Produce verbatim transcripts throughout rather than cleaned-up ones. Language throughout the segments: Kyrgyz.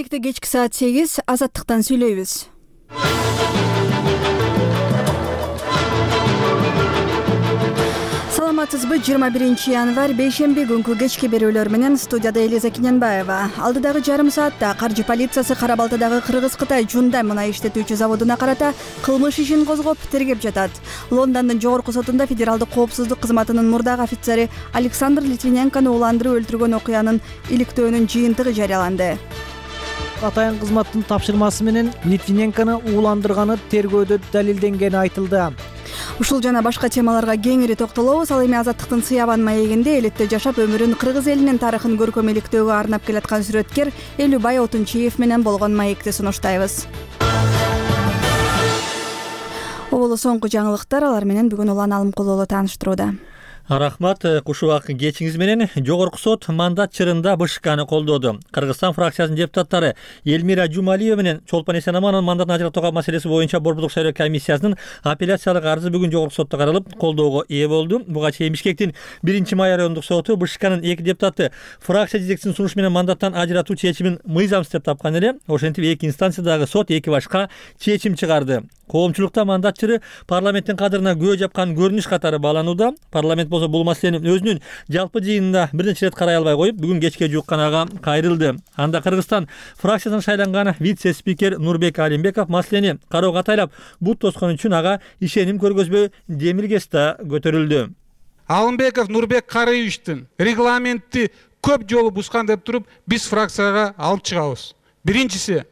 Понедельникте кечки саат сегиз Азаттыктан сүйлөйбүз. Саламатсызбы? жыйырма биринчи январь бейшемби күнкү кечки берүүлөр менен студияда Элиза Киненбаева. Алдыдагы жарым саатта каржы полициясы Кара Балтадагы Кыргыз-Кытай Жундай мунай иштетүүчү заводуна карата кылмыш ишин козгоп тергеп жатат. Лондондун жогорку сотунда федералдык коопсуздук кызматынын мурдагы офицери Александр Литвиненкону уландырып өлтүргөн окуянын иликтөөнүн жыйынтыгы жарыяланды. Атайын кызматтын тапшырмасы менен Литвиненкону ууландырганы тергөөдө далилденгени айтылды. Ушул жана башка темаларга кеңири токтолобуз. Ал эми Азаттыктын Сыябан маегинде элетте жашап өмүрүн кыргыз элинин тарыхын көркөм иликтөөгө арнап келаткан сүрөткер Элүүбай Отунчиев менен болгон маекти сунуштайбыз. Оболу соңку жаңылыктар, алар менен бүгүн Улан Алымкулуулу тааныштырууда. Рахмат, кушубак кечиңиз менен. Жогорку сот мандат чырында БШКны колдоду. Кыргызстан фракциясынын депутаттары Элмира Жумалиева менен Чолпон Эсенамановдун мандатын ажыратууга маселеси боюнча Борбордук шайлоо комиссиясынын апелляциялык арызы бүгүн жогорку сотто каралып, колдоого ээ болду. Буга чейин Бишкектин биринчи май райондук соту БШКнын эки депутаты фракция жетекчисинин сунушу менен мандаттан ажыратуу чечимин мыйзамсыз деп тапкан эле. Ошентип эки инстанциядагы сот эки башка чечим чыгарды. Коомчулукта мандат чыры парламенттин кадырына көө жапкан көрүнүш катары бааланууда. Парламент болсо бул маселени өзүнүн жалпы жыйынында бир нече ирет карай албай коюп, бүгүн кечке жуук канага кайрылды. Анда Кыргызстан фракциясынан шайланган вице-спикер Нурбек Алимбеков маселени кароого атайлап бут тоскон үчүн ага ишеним көргөзбөө демилгеси да көтөрүлдү. Алимбеков Нурбек Карыевичтин регламентти көп жолу бускан деп туруп, биз фракцияга алып чыгабыз. Биринчиси.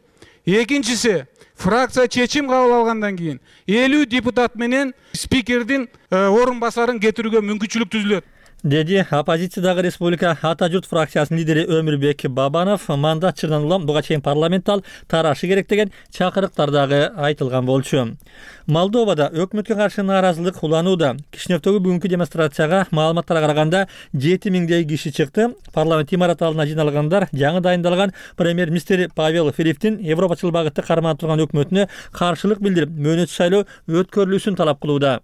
Экинчиси, фракция чечим кабыл алгандан кийин элүү депутат менен спикердин орун басарын кетирүүгө мүмкүнчүлүк түзүлөт, деди оппозициядагы Республика Ата журт фракциясынын лидери Өмүрбек Бабанов. Мандат чырынан улам буга чейин парламент ал тарашы керек деген чакырыктар дагы айтылган болчу. Молдовада өкмөткө каршы нааразылык уланууда. Кишиневдөгү бүгүнкү демонстрацияга маалыматтарга караганда жети миңдей киши чыкты. Парламент имараты алдына жиналгандар жаңы дайындалган премьер-министр Павел Филипптин европачыл багытты кармана турган өкмөтүнө каршылык билдирип, мөөнөтсүз шайлоо өткөрүлүүсүн талап кылууда.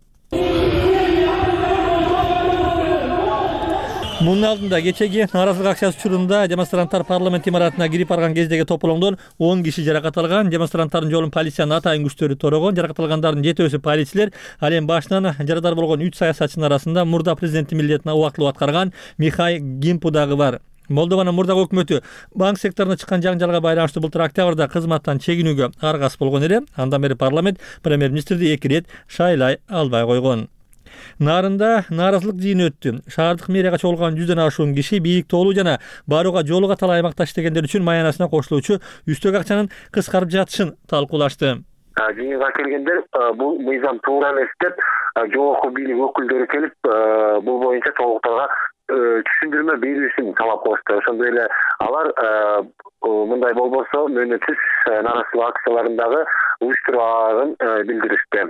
Мунун алдында кечеги нааразылык акциясы учурунда демонстранттар парламент имаратына кирип барган кездеги тополоңдон он киши жаракат алган. Демонстранттардын жолун полициянын атайын күчтөрү торогон. Жаракат алгандардын жетөөсү полицилер. Ал эми башынан жарадар болгон үч саясатчынын арасында мурда президенттин милдетин убактылуу аткарган Михай Гимпу дагы бар. Молдованын мурдагы өкмөтү банк секторуна чыккан жаңжалга байланыштуу былтыр октябрда кызматтан чегинүүгө аргасыз болгон эле. Андан бери парламент премьер-министрди эки ирет шайлай албай койгон. Нарында нааразылык жыйыны өттү. Шаардык мэрияга чогулган жүздөн ашуун киши бийик тоолуу жана барууга жолу катал аймакта иштегендер үчүн маянасына кошулуучу үстөк акчанын кыскарып жатышын талкуулашты. Жыйынга келгендер бул мыйзам туура эмес деп жогорку бийлик өкүлдөрү келип, бул боюнча толуктарга түшүндүрмө берүүсүн талап кылышты. Ошондой эле алар мындай болбосо мөөнөтсүз нааразылык акцияларындагы уюштуруулагын билдиришти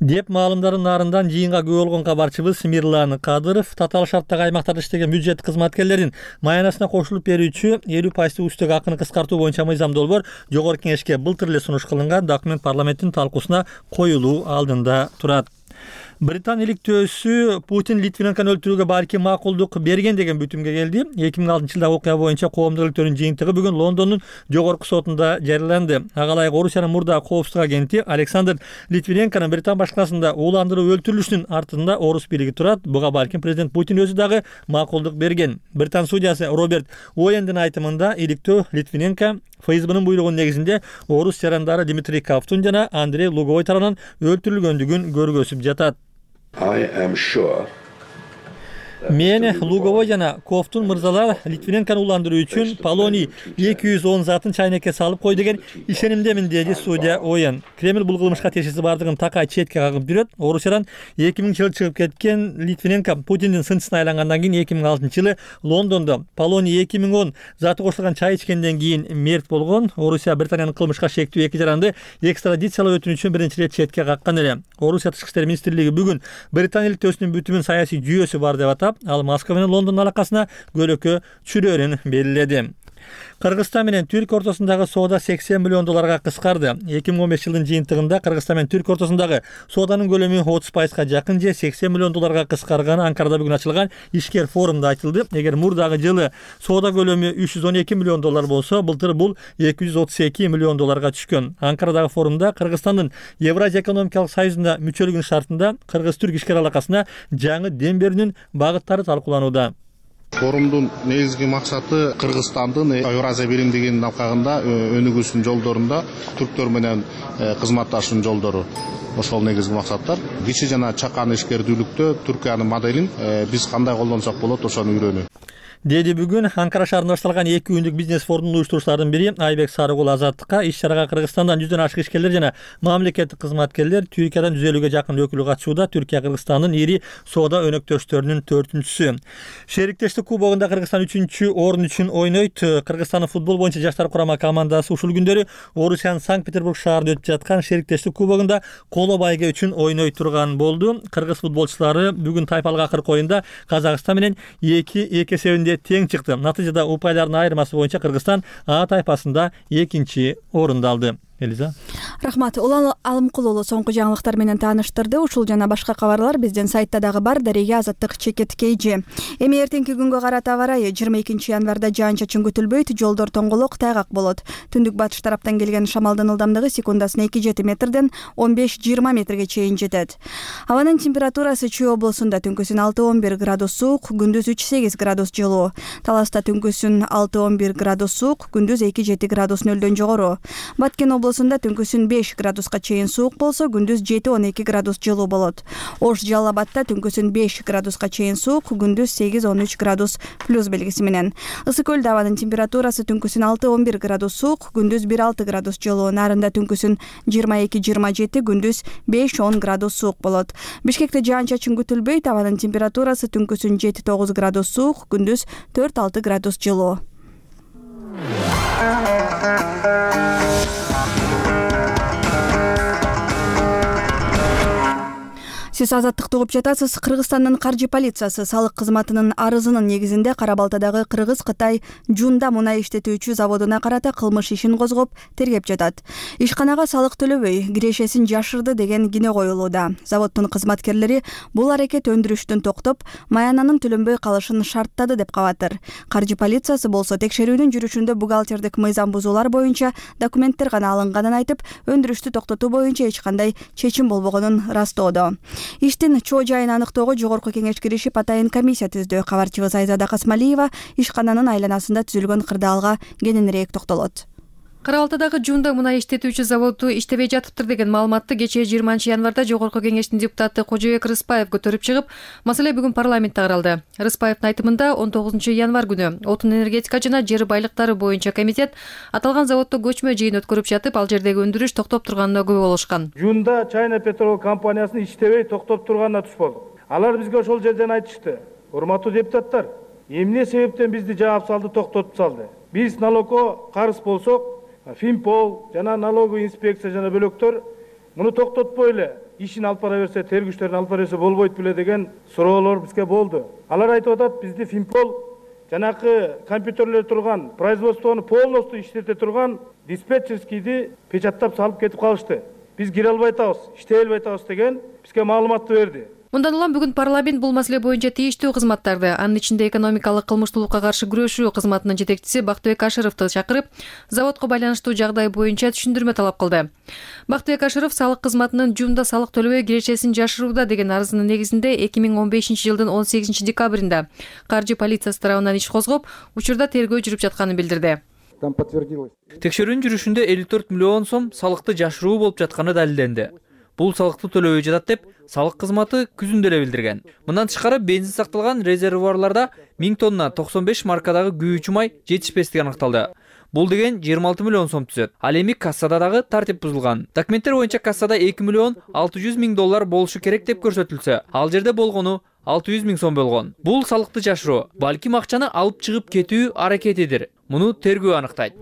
деп маалымдарын нарындан жыйынга күбө болгон кабарчыбыз Мирлан Кадыров татаал шарттагы аймактарда иштеген бюджет кызматкерлерин маянасына кошулуп берүүчү элүү пайыздык үстөк акыны кыскартуу боюнча мыйзам долбоор жогорку кеңешке былтыр эле сунуш кылынган. Документ парламенттин талкуусуна коюлуу алдында турат. Британ иликтөөсү Путин Литвиненкону өлтүрүүгө балким макулдук берген деген бүтүмгө келди. эки миң алтынчы жылдагы окуя боюнча коомдук иликтөөнүн жыйынтыгы бүгүн Лондондун жогорку сотунда жарыяланды. Ага ылайык Орусиянын мурдагы коопсуздук агенти Александр Литвиненконун Британ башкарасында ууландырып өлтүрүлүшүнүн артында орус бийлиги турат. Буга балким президент Путин өзү дагы макулдук берген. Британ судьясы Роберт Уэндин айтымында иликтөө Литвиненко ФСБнын буйругунун негизинде орус жарандары Дмитрий Ковтун жана Андрей Луговой тарабынан өлтүрүлгөндүгүн көргөзүп жатат. Мен Луговой жана Ковтун мырзалар Литвиненкону уландыруу үчүн полоний эки жүз он затын чайнекке салып кой деген ишенимдемин, деди судья Оен. Кремль бул кылмышка тиешеси бардыгын такай четке кагып жүрөт. Орусиядан эки миңинчи жылы чыгып кеткен Литвиненко Путиндин сынчысына айлангандан кийин эки миң алтынчы жылы Лондондо полоний эки миң он заты кошулган чай ичкенден кийин мерт болгон. Орусия Британиянын кылмышка шектүү эки жаранды экстрадициялоо өтүнүчүн биринчи ирет четке каккан эле. Орусия тышкы иштер министрлиги бүгүн Британ иликтөөсүнүн бүтүмүн саясий жүйөөсү бар деп атап, ал Москва менен Лондондун алакасына көлөкө чүрөөрүн белгиледи. Кыргызстан менен Түркия ортосундагы соода сексен миллион долларга кыскарды. эки миң он беш жылдын жыйынтыгында Кыргызстан менен Түркия ортосундагы сооданын көлөмү отуз пайызга жакын же сексен миллион долларга кыскарганы Анкарада бүгүн ачылган ишкер форумда айтылды. Эгер мурдагы жылы соода көлөмү үч жүз он эки миллион доллар болсо, былтыр бул эки жүз отуз эки миллион долларга түшкөн. Анкарадагы форумда Кыргызстандын Евразия экономикалык союзуна мүчөлүгүнүн шартында кыргыз-түрк ишкер алакасына жаңы дем берүүнүн багыттары талкууланууда. Форумдун негизги максаты Кыргызстандын Евразия биримдигинин алкагында өнүгүүсүнүн жолдорунда түрктөр менен кызматташуунун жолдору. Ошол негизги максаттар. Кичи жана чакан ишкердүүлүктө Түркиянын моделин биз кандай колдонсок болот, ошону үйрөнүү. Деди бүгүн Анкара шаарында башталган эки күндүк бизнес форумдун уюштуруучуларынын бири Айбек Сарыгул Азаттыкка иш чарага Кыргызстандан жүздөн ашык ишкерлер жана мамлекеттик кызматкерлер, Түркиядан жүз элүүгө жакын өкүл катышууда. Түркия Кыргызстандын ири соода өнөктөштөрүнүн төртүнчүсү. Шериктештик кубогунда Кыргызстан үчүнчү орун үчүн ойнойт. Кыргызстандын футбол боюнча жаштар курама командасы ушул күндөрү Орусиянын Санкт-Петербург шаарында өтүп жаткан Шериктештик кубогунда коло байге үчүн ойной турган болду. Кыргыз футболчулары бүгүн тайпалык акыркы оюнда Казакстан менен эки эки эсебинде тең чыкты. Натыйжада упайлардын айырмасы боюнча Кыргызстан А тайпасында экинчи орунду алды. Элиза. Рахмат. Улан Алымкул уулу соңку жаңылыктар менен тааныштырды. Ушул жана башка кабарлар биздин сайтта дагы бар. Дарега Азаттык чекет кейжи. Эми эртеңки күнгө карата аба ырайы жыйырма экинчи январда жаан-чачын күтүлбөйт, жолдор тоңголок, тайгак болот. Түндүк батыш тараптан келген шамалдын ылдамдыгы секундасына эки жети метрден он беш жыйырма метрге чейин жетет. Абанын температурасы Чүй облусунда түнкүсүн алты он бир градус суук, күндүз үч сегиз градус жылуу. Таласта түнкүсүн алты он бир градус суук, күндүз эки жети градус нөлдөн жогору. Баткен облусунда түнкүсүн беш градуска чейин суук болсо, күндүз жети он эки градус жылуу болот. Ош Жалал Абадта түнкүсүн беш градуска чейин суук, күндүз сегиз он үч градус плюс белгиси менен. Ысык көлдө абанын температурасы түнкүсүн алты он бир градус суук, күндүз бир алты градус жылуу. Нарында түнкүсүн жыйырма эки жыйырма жети, күндүз беш он градус суук болот. Бишкекте жаан-чачын күтүлбөйт, абанын температурасы түнкүсүн жети тогуз градус суук, күндүз төрт алты градус жылуу. Сиз Азаттыкты угуп жатасыз. Кыргызстандын каржы полициясы салык кызматынын арызынын негизинде Кара Балтадагы Кыргыз-Кытай Жунда мунай иштетүүчү заводуна карата кылмыш ишин козгоп тергеп жатат. Ишканага салык төлөбөй кирешесин жашырды деген кине коюлууда. Заводдун кызматкерлери бул аракет өндүрүштүн токтоп, маянанын төлөнбөй калышын шарттады деп кабатыр. Каржы полициясы болсо текшерүүнүн жүрүшүндө бухгалтердик мыйзам бузуулар боюнча документтер гана алынганын айтып, өндүрүштү токтотуу боюнча эч кандай чечим болбогонун ырастоодо. Иштин чоо жайын аныктоого жогорку кеңеш киришип атайын комиссия түздү. Кабарчыбыз Айзада Касмалиева ишкананын айланасында түзүлгөн кырдаалга кененирээк токтолот. Кара Балтадагы Жунда мунай иштетүүчү заводу иштебей жатыптыр деген маалыматты кечээ жыйырманчы январда жогорку кеңештин депутаты Кожобек Рыспаев көтөрүп чыгып, маселе бүгүн парламентте каралды. Рыспаевдин айтымында он тогузунчу январ күнү отун энергетика жана жер байлыктары боюнча комитет аталган заводдо көчмө жыйын өткөрүп жатып, ал жердеги өндүрүш токтоп турганына күбө болушкан. Жунда Чайна Петрол компаниясын иштебей токтоп турганына туш болдук. Алар бизге ошол жерден айтышты: урматтуу депутаттар, эмне себептен бизди жаап салды, токтотуп салды? Биз налогко карыз болсок, Финпол жана налоговый инспекция жана бөлөктөр муну токтотпой эле ишин алып бара берсе, тергүүчтөрүн алып бара берсе болбойт беле деген суроолор бизге болду. Алар айтып атат, бизди Финпол жанакы компьютерлер турган, производствону полностью иштете турган диспетчерскийди печаттап салып кетип калышты. Биз кире албай атабыз, иштей албай атабыз деген бизге маалыматты берди. Мындан улам бүгүн парламент бул маселе боюнча тийиштүү кызматтарды, анын ичинде экономикалык кылмыштуулукка каршы күрөшүү кызматынын жетекчиси Бактыбек Ашыровду чакырып, заводко байланыштуу жагдай боюнча түшүндүрмө талап кылды. Бактыбек Ашыров салык кызматынын Жунда салык төлөбөй кирешесин жашырууда деген арызынын негизинде эки миң он бешинчи жылдын он сегизинчи декабрында каржы полициясы тарабынан иш козгоп, учурда тергөө жүрүп жатканын билдирди. Текшерүүнүн жүрүшүндө элүү төрт миллион сом салыкты жашыруу болуп жатканы далилденди. Бул салыкты төлөбөй жатат деп салык кызматы күзүндө эле билдирген. Мындан тышкары бензин сакталган резервуарларда миң тонна токсон беш маркадагы күйүүчү май жетишпестиги аныкталды. Бул деген жыйырма алты миллион сом түзөт. Ал эми кассада дагы тартип бузулган. Документтер боюнча кассада эки миллион алты жүз миң доллар болушу керек деп көрсөтүлсө, ал жерде болгону алты жүз миң сом болгон. Бул салыкты жашыруу, балким акчаны алып чыгып кетүү аракетидир. Муну тергөө аныктайт.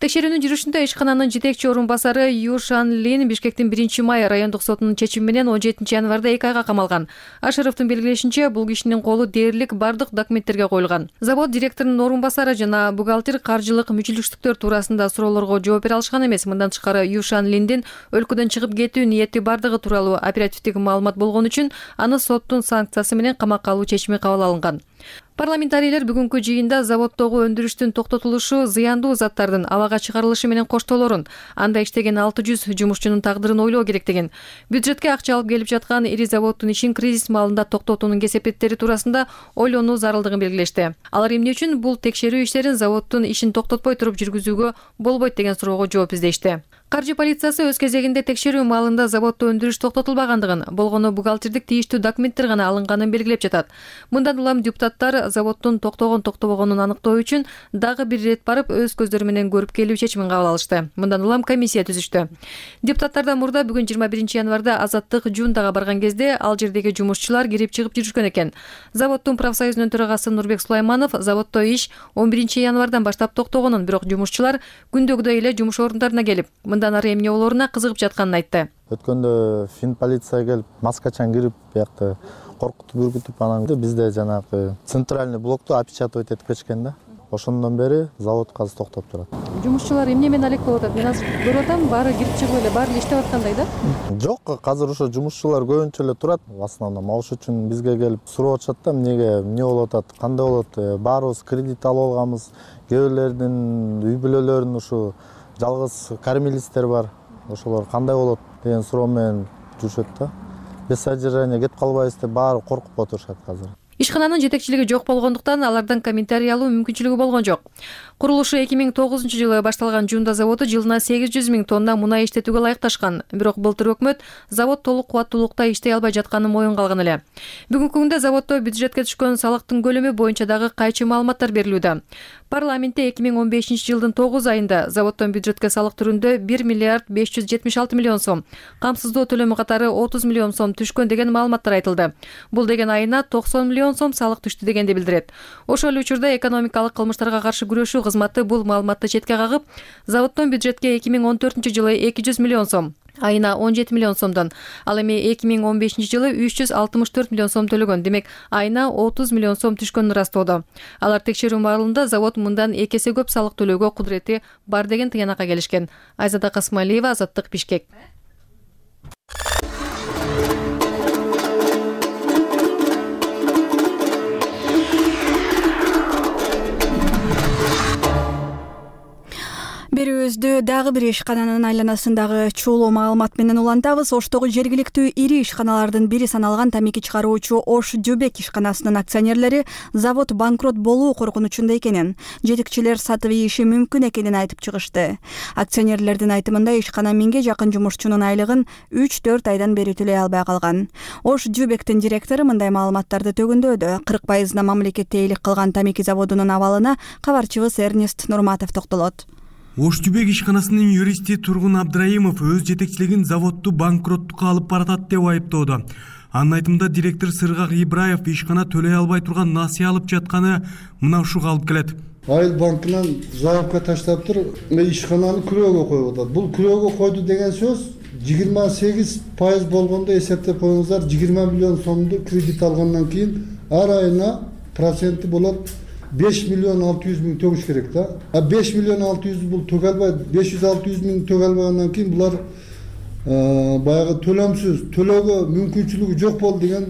Текшерүүнүн жүрүшүндө ишкананын жетекчи орун басары Ю Шан Лин Бишкектин биринчи май райондук сотунун чечими менен он жетинчи январда эки айга камалган. Ашыровдун белгилешинче, бул кишинин колу дээрлик бардык документтерге коюлган. Завод директорунун орун басары жана бухгалтер каржылык мүчүлүштүктөр туурасында суроолорго жооп бере алышкан эмес. Мындан тышкары Ю Шан Линдин өлкөдөн чыгып кетүү ниети бардыгы тууралуу оперативдик маалымат болгон үчүн аны соттун санкциясы менен камакка алуу чечими кабыл алынган. Парламентарийлер бүгүнкү жыйында заводдогу өндүрүштүн токтотулушу зыяндуу заттардын абага чыгарылышы менен коштоолорун, анда иштеген алты жүз жумушчунун тагдырын ойлоо керек деген, бюджетке акча алып келип жаткан ири заводдун ишин кризис маалында токтотуунун кесепеттери туурасында ойлонуу зарылдыгын белгилешти. Алар эмне үчүн бул текшерүү иштерин заводдун ишин токтотпой туруп жүргүзүүгө болбойт деген суроого жооп издешти. Каржы полициясы өз кезегинде текшерүү маалында заводдо өндүрүш токтотулбагандыгын, болгону бухгалтердик тийиштүү документтер гана алынганын белгилеп жатат. Мындан улам депутаттар заводдун токтогон токтобогонун аныктоо үчүн дагы бир ирет барып өз көздөрү менен көрүп келүү чечимин кабыл алышты. Мындан улам комиссия түзүштү. Депутаттардан мурда бүгүн жыйырма биринчи январда Азаттык Жундага барган кезде ал жердеги жумушчулар кирип чыгып жүрүшкөн экен. Заводдун профсоюзунун төрагасы Нурбек Сулайманов заводдо иш он биринчи январдан баштап токтогонун, бирок жумушчулар күндөгүдөй эле жумуш орундарына келип, мындан ары эмне болооруна кызыгып жатканын айтты. Өткөндө фин полиция келип, маскачан кирип, биякта коркутуп үркүтүп, анан бизде жанагы центральный блокту опечатывать этип кетишкен да. Ошондон бери завод азыр токтоп турат. Жумушчулар эмне менен алек болуп атат? Мен азыр көрүп атам, баары кирип чыгып эле, баары иштеп аткандай да? Жок, азыр ошо жумушчулар көбүнчө эле турат. В основном ошол үчүн бизге келип сурап атышат да, эмнеге, эмне болуп атат, кандай болот? Баарыбыз кредит алып алганбыз. Кээ бирлердин үй бүлөлөрүнүн ушу жалгыз кормилистер бар. Ошолор кандай болот деген суроо менен жүрүшөт да. Без содержания кетип калбайбыз деп баары коркуп отурушат азыр. Ишкананын жетекчилиги жок болгондуктан алардан комментарий алуу мүмкүнчүлүгү болгон жок. Курулушу эки миң тогузунчу жылы башталган Жунда заводу жылына сегиз жүз миң тонна мунай иштетүүгө ылайыкташкан. Бирок былтыр өкмөт завод толук кубаттуулукта иштей албай жатканын моюнга алган эле. Бүгүнкү күндө заводдо бюджетке түшкөн салыктын көлөмү боюнча дагы кайчы маалыматтар берилүүдө. Парламентте эки миң он бешинчи жылдын тогуз айында заводдон бюджетке салык түрүндө бир миллиард беш жүз жетимиш алты миллион сом, камсыздоо төлөмү катары отуз миллион сом түшкөн деген маалыматтар айтылды. Бул деген айына токсон миллион сом салык түштү дегенди билдирет. Ошол эле учурда экономикалык кылмыштарга каршы күрөшүү кызматы бул маалыматты четке кагып, заводдон бюджетке эки миң он төртүнчү жылы эки жүз миллион сом, айына он жети миллион сомдон, ал эми эки миң он бешинчи жылы үч жүз алтымыш төрт миллион сом төлөгөн, демек айына отуз миллион сом түшкөнүн ырастоодо. Алар текшерүү маалында завод мындан эки эсе көп салык төлөөгө кудурети бар деген тыянакка келишкен. Айзада Касмалиева, Азаттык, Бишкек. Берүүбүздү дагы бир ишкананын айланасындагы чулуу маалымат менен улантабыз. Оштогу жергиликтүү ири ишканалардын бири саналган тамеки чыгаруучу Ош Жубек ишканасынын акционерлери завод банкрот болуу коркунучунда экенин, жетекчилер сатып ийиши мүмкүн экенин айтып чыгышты. Акционерлердин айтымында ишкана миңге жакын жумушчунун айлыгын үч төрт айдан бери төлөй албай калган. Ош Жубектин директору мындай маалыматтарды төгүндөдө. кырк пайызына мамлекетте эйлик кылган тамеки заводунун абалына кабарчыбыз Эрнест Нурматов токтолот. Ош Жубек ишканасынын юристи Тургун Абдрайымов өз жетекчилигин заводду банкроттукка алып баратат деп айыптоодо. Анын айтымында директор Сыргак Ибраев ишкана төлөй албай турган насыя алып жатканы мына ушуга алып келет. Айыл банкынан заявка таштап туруп, ишкананы күрөөгө коюп атат. Бул күрөөгө койду деген сөз жыйырма сегиз пайыз болгондо эсептеп коюңуздар, жыйырма миллион сомду кредит алгандан кийин ар айына проценти болот беш миллион алты жүз миң төгүш керек да. А беш миллион алты жүз бул төг албай, беш жүз алты жүз миң төг албагандан кийин булар баягы төлөмсүз, төлөөгө мүмкүнчүлүгү жок болду деген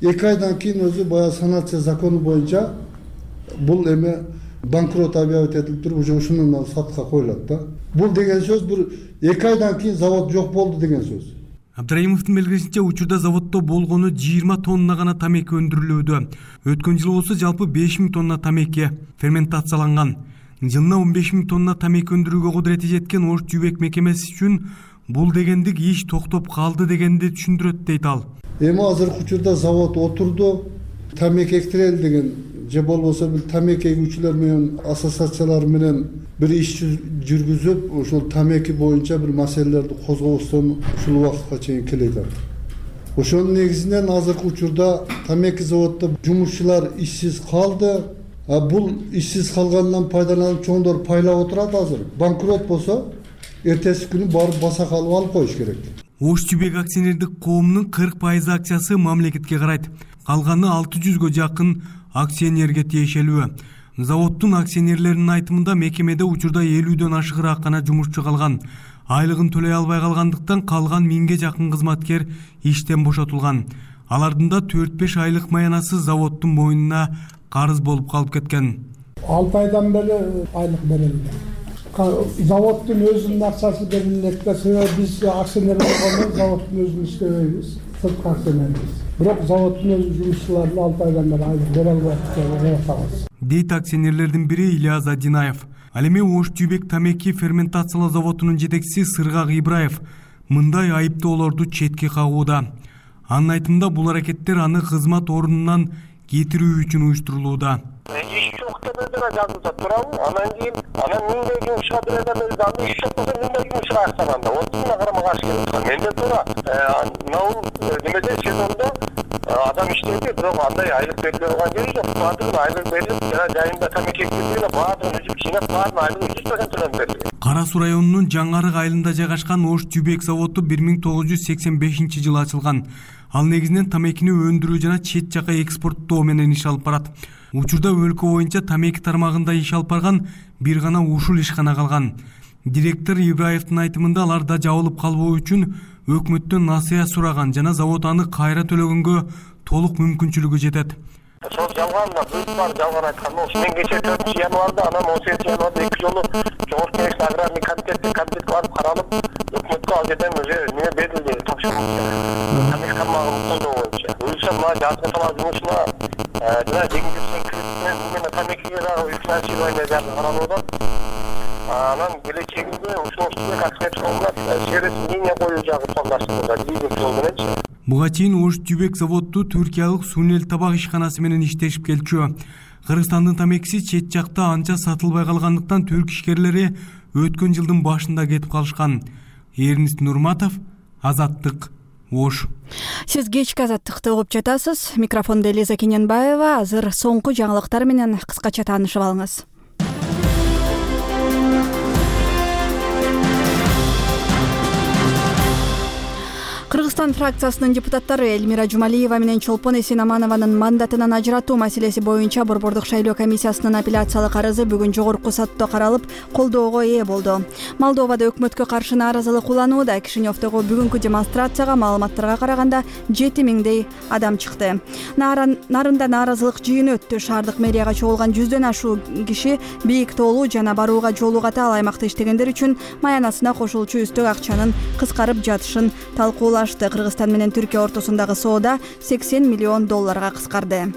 эки айдан кийин өзү баягы санация закону боюнча бул эме банкрот объявить этилип туруп, уже ушунун сатка коюлат да. Бул деген сөз бир эки айдан кийин завод жок болду деген сөз. Абдрайымовдун белгилешинче, учурда заводдо болгону жыйырма тонна гана тамеки өндүрүлүүдө. Өткөн жылы болсо жалпы беш миң тонна тамеки ферментацияланган. Жылына он беш миң тонна тамеки өндүрүүгө кудурети жеткен Ош Жубек мекемеси үчүн бул дегендик иш токтоп калды дегенди түшүндүрөт дейт ал. Эми азыркы учурда завод отурду, тамеки экстирел деген же болбосо бир тамеки эгүүчүлөр менен ассоциациялар менен бир иш жүргүзүп, ошол тамеки боюнча бир маселелерди козгобостон ушул убакытка чейин келет. Ошонун негизинен азыркы учурда тамеки заводдо жумушчулар ишсиз калды. Бул ишсиз калгандан пайдаланып чоңдор пайлап отурат азыр. Банкрот болсо, эртеси күнү барып баса калып алып коюш керек. Ош Жүбек акционердик коомунун кырк пайыз акциясы мамлекетке карайт. Калганы алты жүзгө жакын акционерге тиешелүү. Заводдун акционерлеринин айтымында мекемеде учурда элүүдөн ашыгыраак гана жумушчу калган. Айлыгын төлөй албай калгандыктан калган миңге жакын кызматкер иштен бошотулган. Алардын да төрт беш айлык маянасы заводдун мойнуна карыз болуп калып кеткен. алты айдан бери айлык берилди. Заводдун өзүнүн акчасы берилет да, себеби биз акционер болгондо заводдун өзүн иштебейбиз, сырткы акционербиз. Бирок заводдун өз жумушчуларына алты айдан бери айлык бере албайт дейт акционерлердин бири Ильяз Адинаев. Ал эми Ош Жүбек тамеки ферментациялоо заводунун жетекчиси Сыргак Ибраев мындай айыптоолорду четке кагууда. Анын айтымында бул аракеттер аны кызмат ордунан кетирүү үчүн уюштурулууда. Иш жок деп эле жазылса турабы, анан кийин анан миңдей жумушка берген өзү иш жок болсо миңдей жумушка ачканда отузуна карама каршы келет. Менде туура наул немеде сезондо адам иштейди, бирок андай айлык бериле турган жери жок. Баардыгына айлык берилип, жана жайында тамеки эккендигине баардыгын үзүп жыйнап, баардыгына айлыгы жүз процент төлөнүп берилди. Кара Суу районунун Жаңарык айылында жайгашкан Ош Жүбек заводу бир миң тогуз жүз сексен бешинчи жылы ачылган. Ал негизинен тамекини өндүрүү жана чет жака экспорттоо менен иш алып барат. Учурда өлкө боюнча тамеки тармагында иш алып барган бир гана ушул ишкана калган. Директор Ибраевдин айтымында аларда жабылып калбоо үчүн өкмөттөн насыя сураган жана завод аны кайра төлөгөнгө толук мүмкүнчүлүгү жетет. Сол жалганда бүт бар жалган айткан болуш. Мен кече төртүнчү январда, анан он сегизинчи январда эки жолу Жогорку Кеңештин аграрный комитетке комитетке барып каралып, өкмөткө ал жерден өзү неме берилди, тапшырма. Тамек тармагын колдоо боюнча. Өзү мына жазгы талап жумушуна жана жеңилдетилген кредитмен бул тамекиге дагы финансирование жагы каралууда. Анан келечегинде ушул Жүбек акционерлик коомуна сервис линия коюу жагы пландаштырылды, лизинг жол мененчи. Буга чейин Ош Жүбек заводу Түркиялык Сунел табак ишканасы менен иштешип келчү. Кыргызстандын тамекиси чет жакта анча сатылбай калгандыктан түрк ишкерлери өткөн жылдын башында кетип калышкан. Эрнист Нурматов, Азаттык, Ош. Сиз кечки Азаттыкты угуп жатасыз. Микрофондо Элиза Кененбаева. Азыр соңку жаңылыктар менен кыскача таанышып алыңыз. Кыргызстан фракциясынын депутаттары Элмира Жумалиева менен Чолпон Эсенаманованын мандатынан ажыратуу маселеси боюнча Борбордук шайлоо комиссиясынын апелляциялык арызы бүгүн жогорку сотто каралып, колдоого ээ болду. Молдовада өкмөткө каршы нааразылык уланууда. Кишиневдогу бүгүнкү демонстрацияга маалыматтарга караганда жети миңдей адам чыкты. Нарында нааразылык жыйыны өттү. Шаардык мэрияга чогулган жүздөн ашуу киши бийик тоолуу жана барууга жолу ката ал аймакта иштегендер үчүн маянасына кошулчу үстөк акчанын кыскарып жатышын талкуулашты. Кыргызстан менен Түркия ортосундагы соода сексен миллион долларга кыскарды.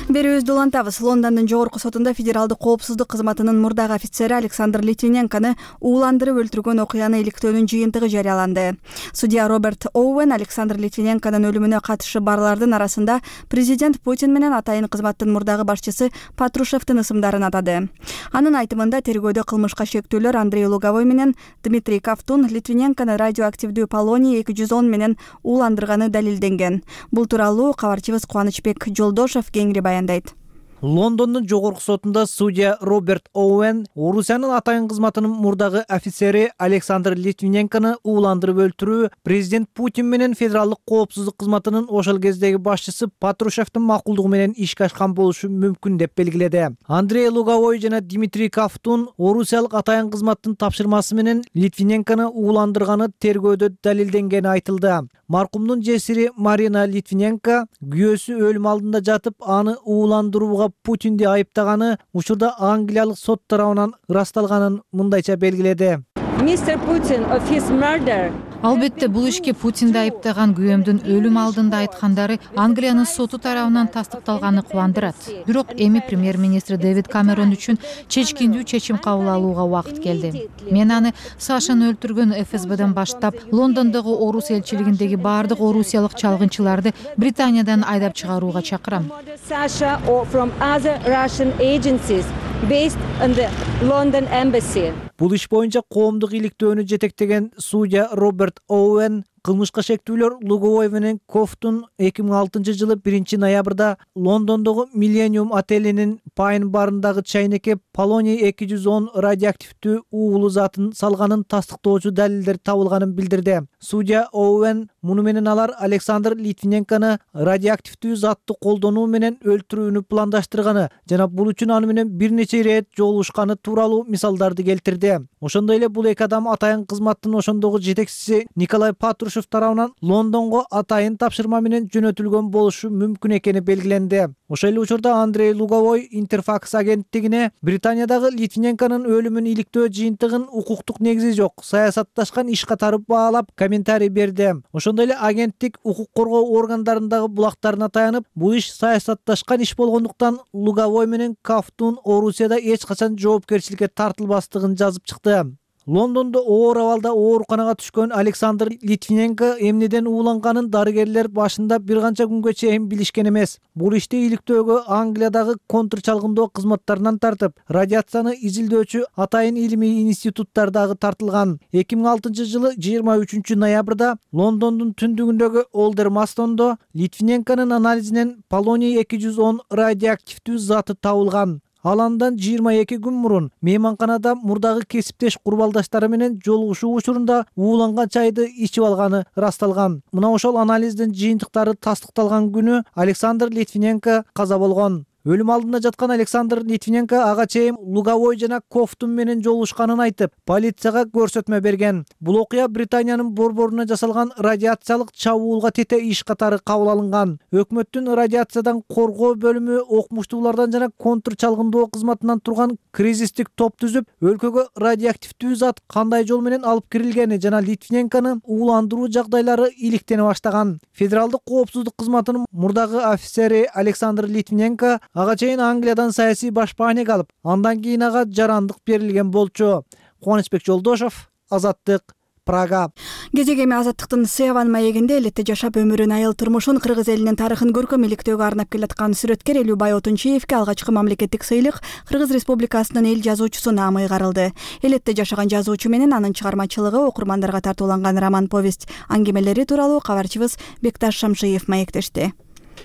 Берүүбүздү улантабыз. Лондондун жогорку сотунда федералдык коопсуздук кызматынын мурдагы офицери Александр Литвиненкону ууландырып өлтүргөн окуяны иликтөөнүн жыйынтыгы жарыяланды. Судья Роберт Оуэн Александр Литвиненконун өлүмүнө катышы барлардын арасында президент Путин менен атайын кызматтын мурдагы башчысы Патрушевдин ысымдарын атады. Анын айтымында тергөөдө кылмышка шектүүлөр Андрей Луговой менен Дмитрий Ковтун Литвиненкону радиоактивдүү полоний эки жүз он менен ууландырганы далилденген. Бул тууралуу кабарчыбыз Кубанычбек Жолдошов кеңири баяндайт. Лондондун жогорку сотунда судья Роберт Оуэн Орусиянын атайын кызматынын мурдагы офицери Александр Литвиненкону ууландырып өлтүрүү президент Путин менен федералдык коопсуздук кызматынын ошол кездеги башчысы Патрушевдин макулдугу менен ишке ашкан болушу мүмкүн деп белгиледи. Андрей Луговой жана Дмитрий Ковтун Орусиялык атайын кызматтын тапшырмасы менен Литвиненкону ууландырганы тергөөдө далилденгени айтылды. Маркумдун жесири Марина Литвиненко күйөөсү өлүм алдында жатып, аны ууландырууга Путинди айыптаганы учурда Англиялык сот тарабынан ырасталганын мындайча белгиледи. мистер Putin of his murder. Албетте бул ишке Путинди айыптаган күйөөмдүн өлүм алдында айткандары Англиянын соту тарабынан тастыкталганы кубандырат. Бирок эми премьер-министр Дэвид Камерон үчүн чечкиндүү чечим кабыл алууга убакыт келди. Мен аны Сашаны өлтүргөн эф эс бден баштап Лондондогу Орус элчилигиндеги баардык орусиялык чалгынчыларды Британиядан айдап чыгарууга чакырам. Sasha or from other Russian agencies based in the London embassy. Бул иш боюнча коомдук иликтөөнү жетектеген судья Роберт Оуэн Кылмышка шектүүлөр Луговой менен Кофтун эки миң алтынчы жылы биринчи ноябрда Лондондогу Millennium отелинин Pine барындагы чайнекке полоний эки жүз он радиоактивдүү уулуу затын салганын тастыктоочу далилдер табылганын билдирди. Судья Оуэн муну менен алар Александр Литвиненкону радиоактивдүү затты колдонуу менен өлтүрүүнү пландаштырганы жана бул үчүн аны менен бир нече ирет жолугушканы тууралуу мисалдарды келтирди. Ошондой эле бул эки адам атайын кызматтын ошондогу жетекчиси Николай Патрушев тарабынан Лондонго атайын тапшырма менен жөнөтүлгөн болушу мүмкүн экени белгиленди. Ошол эле учурда Андрей Луговой Интерфакс агенттигине Британиядагы Литвиненконун өлүмүн иликтөө жыйынтыгын укуктук негизи жок, саясатташкан иш катары баалап комментарий берди. Ошондой эле агенттик укук коргоо органдарындагы булактарына таянып, бул иш саясатташкан иш болгондуктан Луговой менен Кофтун Орусияда эч качан жоопкерчиликке тартылбастыгын жазып чыкты. Лондондо оор абалда ооруканага түшкөн Александр Литвиненко эмнеден ууланганын дарыгерлер башында бир канча күнгө чейин билишкен эмес. Бул ишти иликтөөгө Англиядагы контрчалгындоо кызматтарынан тартып, радиацияны изилдөөчү атайын илимий институттар дагы тартылган. эки миң алтынчы жылы жыйырма үчүнчү ноябрда Лондондун түндүгүндөгү Олдермастондо Литвиненконун анализинен полоний эки жүз он радиоактивдүү заты табылган. Ал андан жыйырма эки күн мурун мейманканада мурдагы кесиптеш курбалдаштары менен жолугушуу учурунда ууланган чайды ичип алганы ырасталган. Мына ошол анализдин жыйынтыктары тастыкталган күнү Александр Литвиненко каза болгон. Өлүм алдында жаткан Александр Литвиненко ага чейин Луговой жана Кофтун менен жолугушканын айтып, полицияга көрсөтмө берген. Бул окуя Британиянын борборуна жасалган радиациялык чабуулга тете иш катары кабыл алынган. Өкмөттүн радиациядан коргоо бөлүмү окумуштуулардан жана контрчалгындоо кызматынан турган кризистик топ түзүп, өлкөгө радиоактивдүү зат кандай жол менен алып кирилгени жана Литвиненкону ууландыруу жагдайлары иликтене баштаган. Федералдык коопсуздук кызматынын мурдагы офицери Александр Литвиненко ага чейин Англиядан саясий башпаанек алып, андан кийин ага жарандык берилген болчу. Кубанычбек Жолдошов, Азаттык, Прага. Кезек эми Азаттыктын Севан маегинде элетте жашап өмүрүн, айыл турмушун, кыргыз элинин тарыхын көркөм иликтөөгө арнап келаткан сүрөткер Элюбай Отунчиевке алгачкы мамлекеттик сыйлык Кыргыз Республикасынын эл жазуучусу наамы ыйгарылды. Элетте жашаган жазуучу менен анын чыгармачылыгы окурмандарга тартууланган роман повесть аңгемелери тууралуу кабарчыбыз Бекташ Шамшиев маектешти.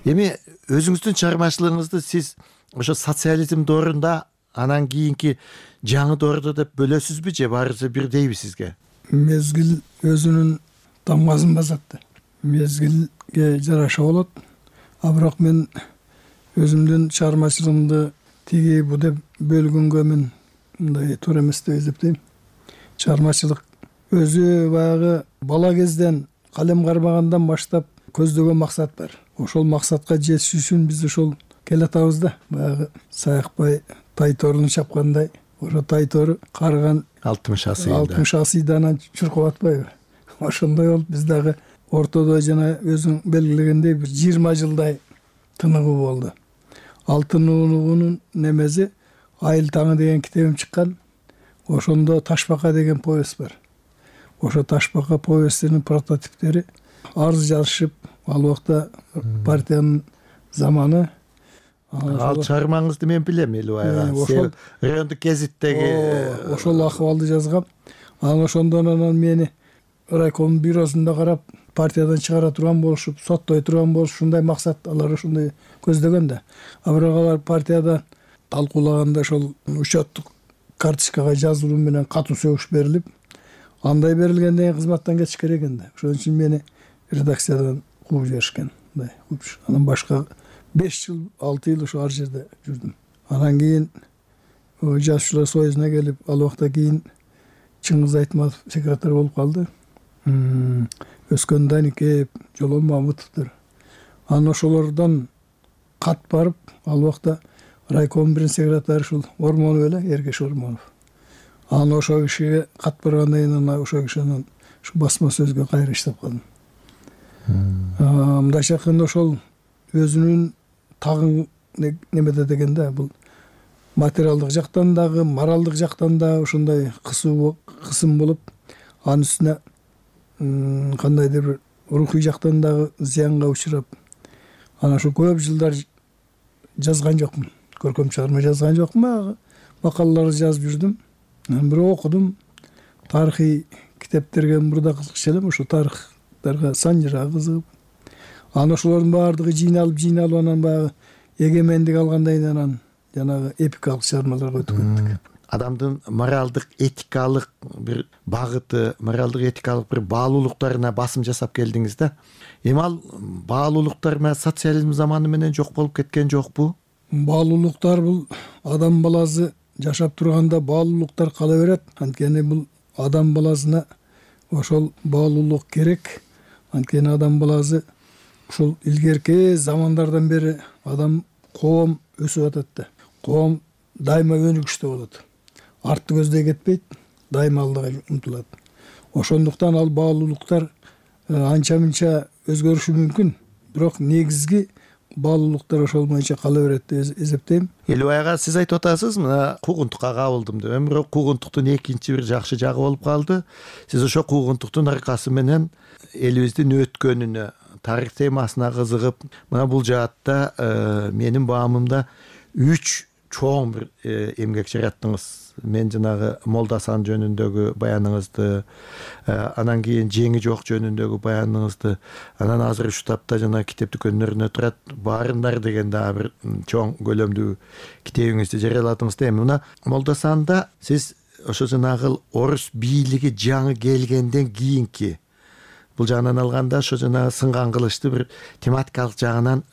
Эми өзүңүздүн чыгармачылыгыңызды сиз ошо социализм доорунда, анан кийинки жаңы дооруда деп бөлөсүзбү же баарысы бирдейби сизге? Мезгил өзүнүн тамгасын басат. Мезгилге жараша болот. А бирок мен өзүмдүн чыгармачылыгымды тиги бу деп бөлгөнгө мен мындай туура эмес деп эсептейм. Чыгармачылык өзү баягы бала кезден калем кармагандан баштап көздөгөн максат бар. Ошол максатка жетиш үчүн биз ошол келатабыз да. Баягы Саякбай Тайторуну чапкандай, ошо Тайтору карыган алтымыш асыйда. алтымыш асыйда анан чуркап атпайбы? Ошондой болуп биз дагы ортодо жана өзүң белгилегендей бир жыйырма жылдай тыныгуу болду. Ал тыныгуунун немеси Айыл таңы деген китебим чыккан. Ошондо Ташбака деген повесть бар. Ошо Ташбака повестинин прототиптери арыз жазышып, ал убакта партиянын заманы. Ал чыгармаңызды мен билем Элюбай. Ошол райондук гезиттеги ошол акыбалды жазгам. Анан ошондон анан мени райком бюросунда карап, партиядан чыгара турган болушуп, соттой турган болуш, ушундай максат алар ушундай көздөгөн да. А бирок алар партияда талкуулаганда ошол учеттук карточкага жазылуу менен катуу сөгүш берилип, андай берилгенден кийин кызматтан кетиш керек экен да. Ошон үчүн мени редакциядан кууп жиберишкен. Мындай кууп. Анан башка беш жыл, алты жыл ошо ар жерде жүрдүм. Анан кийин жазуучулар союзуна келип, ал убакта кийин Чыңгыз Айтматов секретарь болуп калды. Өскөн Даникеев, Жолон Мамытовдор. Анан ошолордон кат барып, ал убакта райком биринчи секретарь ушул Ормонов эле, Эргеш Ормонов. Анан ошол кишиге кат баргандан кийин анан ошол киши анан ушу басма сөзгө кайра иштеп калдым. Мындайча айтканда ошол өзүнүн тагын немеде дегенде бул материалдык жактан дагы, моралдык жактан да ушундай кысуу кысым болуп, анын үстүнө кандайдыр бир рухий жактан дагы зыянга учурап, анан ошо көп жылдар жазган жокмун. Көркөм чыгарма жазган жокмун, макалалар жазып жүрдүм. Анан бирок окудум. Тарыхый китептерге мурда кызыкчу элем, ошо тарыхта чыгармачылыктарга санжыра кызыгып, анан ошолордун баардыгы жыйналып жыйналып анан баягы эгемендик алгандай анан жанагы эпикалык чыгармаларга өтүп кеттик. Адамдын моралдык этикалык бир багыты, моралдык этикалык бир баалуулуктарына басым жасап келдиңиз да. Эми ал баалуулуктар менен социализм заманы менен жок болуп кеткен жокпу? Баалуулуктар бул адам баласы жашап турганда баалуулуктар кала берет. Анткени бул адам баласына ошол баалуулук керек. Анткени адам баласы ушул илгерки замандардан бери адам коом өсүп атат да. Коом дайыма өнүгүштө болот. Артты көздөй кетпейт, дайыма алдыга умтулат. Ошондуктан ал баалуулуктар анча-мынча өзгөрүшү мүмкүн, бирок негизги баалуулуктар ошол боюнча кала берет деп эсептейм. Элубай ага, сиз айтып атасыз, мына куугунтукка кабылдым деп. Эми бирок куугунтуктун экинчи бир жакшы жагы болуп калды. Сиз ошо куугунтуктун аркасы менен элибиздин өткөнүнө, тарых темасына кызыгып, мына бул жаатта менин баамымда үч чоң бир эмгек жараттыңыз. Мен жанагы Молдасан жөнүндөгү баяныңызды, анан кийин Жеңи жок жөнүндөгү баяныңызды, анан азыр ушул тапта жана китеп дүкөнлөрүнө турат Баарындар деген дагы бир чоң көлөмдүү китебиңизди жарыяладыңыз да. Эми мына Молдасанда сиз ошо жанагы орус бийлиги жаңы келгенден кийинки, бул жагынан алганда ошо жанагы сынган кылычты бир тематикалык жагынан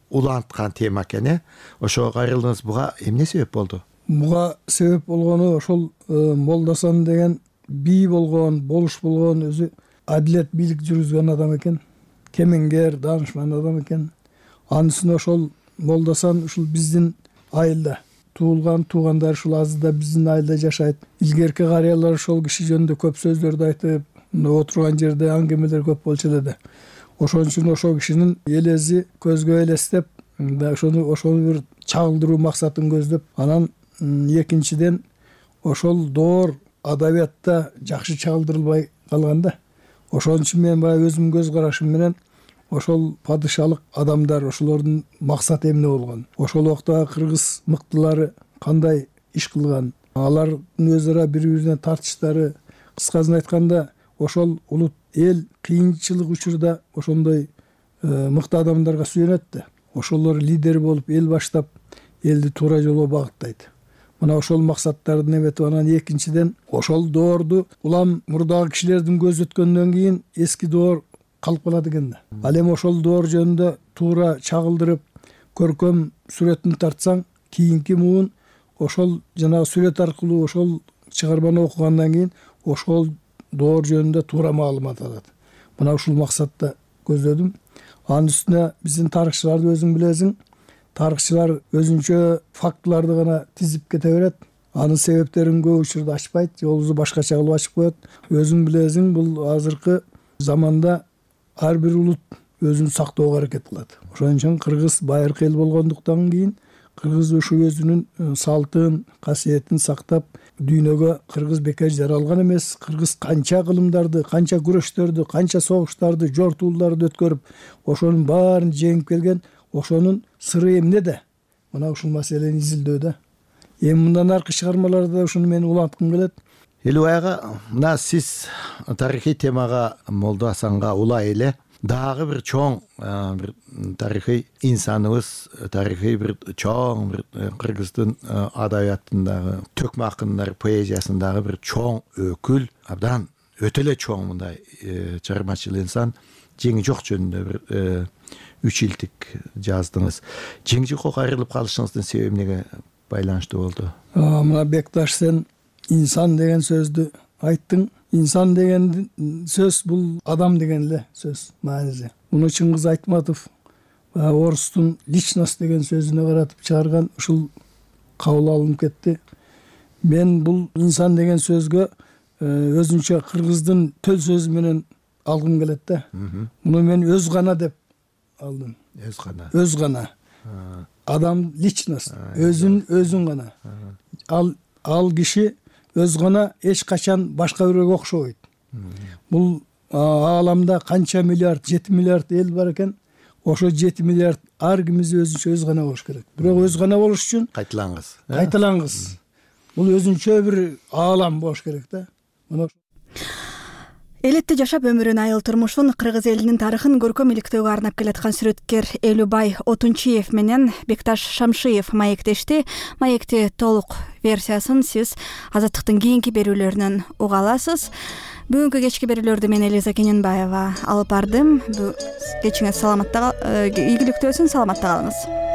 уланткан тема экен, э? Ошого кайрылдыңыз. Буга эмне себеп болду? Буга себеп болгону ошол Молдасан деген бий болгон, болуш болгон, өзү адилет бийлик жүргүзгөн адам экен. Кемеңгер, даанышман адам экен. Анын үстүнө ошол Молдасан ушул биздин айылда туулган, туугандары ушул азырда биздин айылда жашайт. Илгерки карыялар ошол киши жөнүндө көп сөздөрдү айтып, отурган жерде аңгемелер көп болчу эле да. Ошон үчүн ошол кишинин элези көзгө элестеп, ошону ошону бир чагылдыруу максатын көздөп, анан экинчиден ошол доор адабиятта жакшы чагылдырылбай калганда, ошон үчүн мен баягы өзүмдүн көз карашым менен ошол падышалык адамдар, ошолордун максаты эмне болгон, ошол убакта кыргыз мыктылары кандай иш кылган, алардын өз ара бири-биринен тартыштары, кыскасын айтканда ошол улут эл кыйынчылык учурда ошондой мыкты адамдарга сүйөнөт да. Ошолор лидер болуп эл баштап, элди туура жолго багыттайт. Мына ошол максаттарды эметип, анан экинчиден ошол доорду улам мурдагы кишилердин көзү өткөндөн кийин эски доор калып калат экен да. Ал эми ошол доор жөнүндө туура чагылдырып, көркөм сүрөтүн тартсаң, кийинки муун ошол жанагы сүрөт аркылуу ошол чыгарманы окугандан кийин ошол доор жөнүндө туура маалымат алат. Мына ушул максатта көздөдүм. Анын үстүнө биздин тарыхчыларды өзүң билесиң, тарыхчылар өзүнчө фактыларды гана тизип кете берет. Анын себептерин көп учурда ачпайт, жолубузду башкача кылып ачып коет. Өзүң билесиң, бул азыркы заманда ар бир улут өзүн сактоого аракет кылат. Ошон үчүн кыргыз байыркы эл болгондуктан кийин кыргыз ушу өзүнүн салтын, касиетин сактап, дүйнөгө кыргыз бекер жаралган эмес. Кыргыз канча кылымдарды, канча күрөштөрдү, канча согуштарды, жортууларды өткөрүп, ошонун баарын жеңип келген. Ошонун сыры эмнеде? Мына ушул маселени изилдөөдө. Эми мындан аркы чыгармаларда ушуну мен уланткым келет. Элубай ага, мына сиз тарыхый темага Молдасанга улай эле дагы бир чоң бир тарыхый инсаныбыз, тарыхый бир чоң бир кыргыздын адабиятындагы төкмө акындар поэзиясындагы бир чоң өкүл, абдан өтө эле чоң мындай чыгармачыл инсан Жеңи жок жөнүндө бир үч илтик жаздыңыз. Жеңи жокко кайрылып калышыңыздын себеби эмнеге байланыштуу болду? Мына Бекташ, сен инсан деген сөздү айттың. Инсан деген сөз бул адам деген эле сөз мааниси. Муну Чыңгыз Айтматов орустун личность деген сөзүнө каратып чыгарган, ушул кабыл алынып кетти. Мен бул инсан деген сөзгө өзүнчө кыргыздын төл сөзү менен алгым келет да. Муну мен өз гана деп алдым. Өз гана. Өз гана. Адам личность, өзүн өзүн гана. Ал ал киши өз гана эч качан башка бирөөгө окшобойт. Бул ааламда канча миллиард, жети миллиард эл бар экен. Ошо жети миллиард ар кимиз өзүнчө өз гана болуш керек. Бирок өз гана болуш үчүн кайталаңыз. Кайталаңыз. Бул өзүнчө бир аалам болуш керек да. Мына Элетте жашап өмүрүн, айыл турмушун, кыргыз элинин тарыхын көркөм иликтөөгө арнап келаткан сүрөткер Элюбай Отунчиев менен Бекташ Шамшиев маектешти. Маекти толук версиясын сиз Азаттыктын кийинки берүүлөрүнөн уга аласыз. Бүгүнкү кечки берүүлөрдү мен Элиза Кененбаева алып бардым. Кечиңиз саламатта, ийгиликтүү өсүн, саламатта калыңыз.